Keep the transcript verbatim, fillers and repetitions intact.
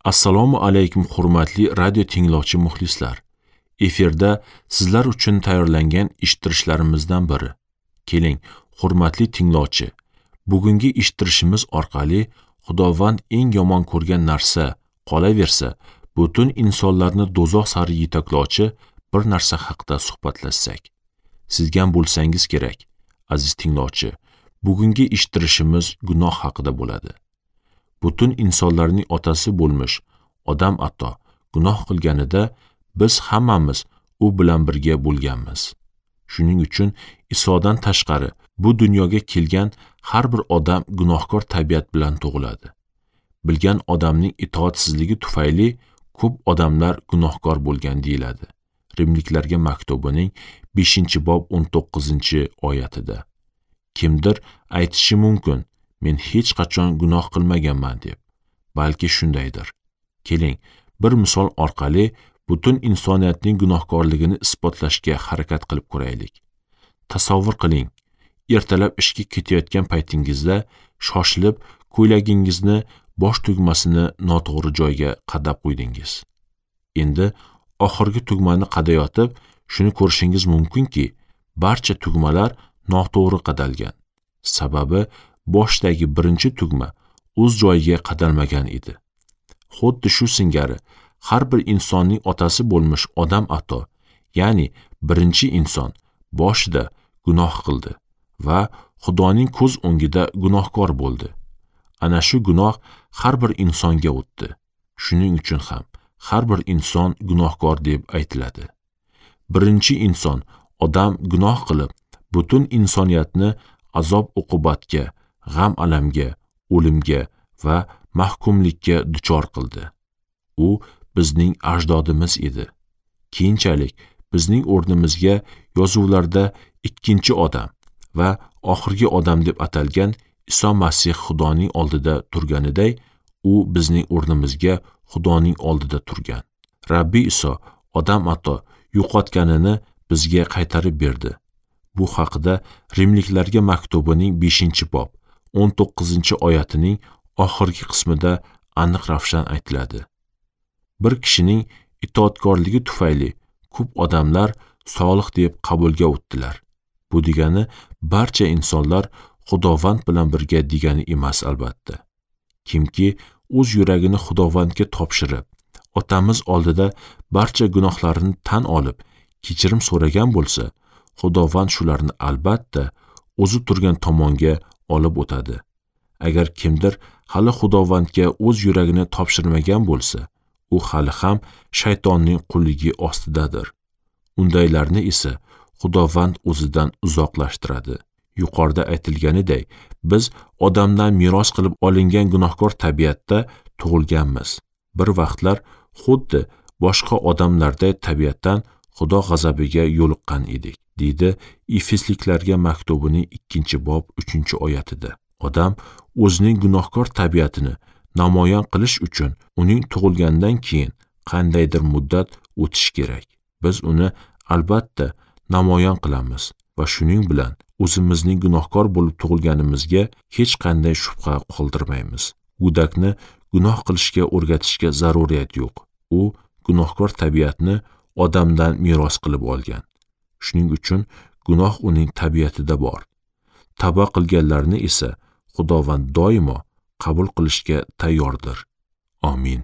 Assalomu alaykum hurmatli radio tinglovchi muxlislar. Efirda sizlar uchun tayyorlangan eshittirishlarimizdan biri. Keling, hurmatli tinglovchi, bugungi eshittirishimiz orqali Xudovand eng yomon ko'rgan narsa qolaversa, butun insonlarni do'zax sari yetaklovchi bir narsa haqida suhbatlashsak. Sizgan bo'lsangiz kerak, aziz tinglovchi, bugungi eshittirishimiz gunoh haqida bo'ladi. Butun insonlarning otasi bo'lmish Odam ato gunoh qilganida biz hammamiz u bilan birga bo'lganmiz. Shuning uchun Isodan tashqari bu dunyoga kelgan har bir odam gunohkor tabiat bilan tug'iladi. Bilgan odamning itoatsizligi tufayli ko'p odamlar gunohkor bo'lgan deyiladi. Rimliklarga maktubining beshinchi bob o'n to'qqizinchi oyatida. Kimdir aytishi mumkin, men hech qachon gunoh qilmaganman deb. Balki shundaydir. Keling, bir misol orqali butun insoniyatning gunohkorligini isbotlashga harakat qilib ko'raylik. Tasavvur qiling, ertalab ishga ketayotgan paytingizda shoshilib ko'ylagingizni bosh tugmasini noto'g'ri joyga qadab qo'ydingiz. Endi oxirgi tugmani qadayotib, shuni ko'rishingiz mumkinki, barcha tugmalar noto'g'ri qadalgan. Sababi boshdagi birinchi tugma o'z joyiga qadalmagan edi. Xuddi shu singari har bir insonning otasi bo'lmish Odam ato, ya'ni birinchi inson boshida gunoh qildi va Xudoning ko'z o'ngida gunohkor bo'ldi. Ana shu gunoh har bir insonga o'tdi. Shuning uchun ham har bir inson gunohkor deb aytiladi. Birinchi inson odam gunoh qilib, butun insoniyatni azob uqubatga, g'am alamga, o'limga va mahkumlikka duchor qildi. U bizning ajdodimiz edi. Keyinchalik bizning o'rnimizga yozuvlarda ikkinchi odam va oxirgi odam deb atalgan Iso Masih Xudoning oldida turganiday, u bizning o'rnimizga Xudoning oldida turgan. Rabbi Iso odam ato yo'qotganini bizga qaytarib berdi. Bu haqida Rimliklarga maktubining beshinchi bob o'n to'qqizinchi oyatining oxirgi qismida aniq ravshan aytiladi. Bir kishining itoatkorligi tufayli ko'p odamlar solih deb qabulga o'tdilar. Bu degani barcha insonlar Xudovand bilan birga degani emas albatta. Kimki o'z yuragini Xudovandga topshirib, otamiz oldida barcha gunohlarini tan olib, kechirim so'ragan bo'lsa, Xudovand shularni albatta o'zi turgan tomonga olib o'tadi. Agar kimdir hali Xudovandga o'z yuragini topshirmagan bo'lsa, u hali ham shaytonning qulligi ostidadir. Undaylarni esa Xudovand o'zidan uzoqlashtiradi. Yuqorida aytilganiday, biz odamdan meros qilib olingan gunohkor tabiatda tug'ilganmiz. Bir vaqtlar xuddi boshqa odamlarday tabiatdan Xudo g'azabiga yo'liqqan edik, deydi Efesliklarga maktubining ikkinchi bob uchinchi oyatida. Odam o'zining gunohkor tabiatini namoyon qilish uchun uning tug'ilgandan keyin qandaydir muddat o'tishi kerak. Biz uni albatta namoyon qilamiz va shuning bilan o'zimizning gunohkor bo'lib tug'ilganimizga hech qanday shubha qoldirmaymiz. Go'dakni gunoh qilishga o'rgatishga zaruriyat yo'q. U gunohkor tabiatni odamdan meros qilib olgan. Shuning uchun gunoh uning tabiatida bor. Tavba qilganlarni esa Xudovand doimo qabul qilishga tayyordir. Amin.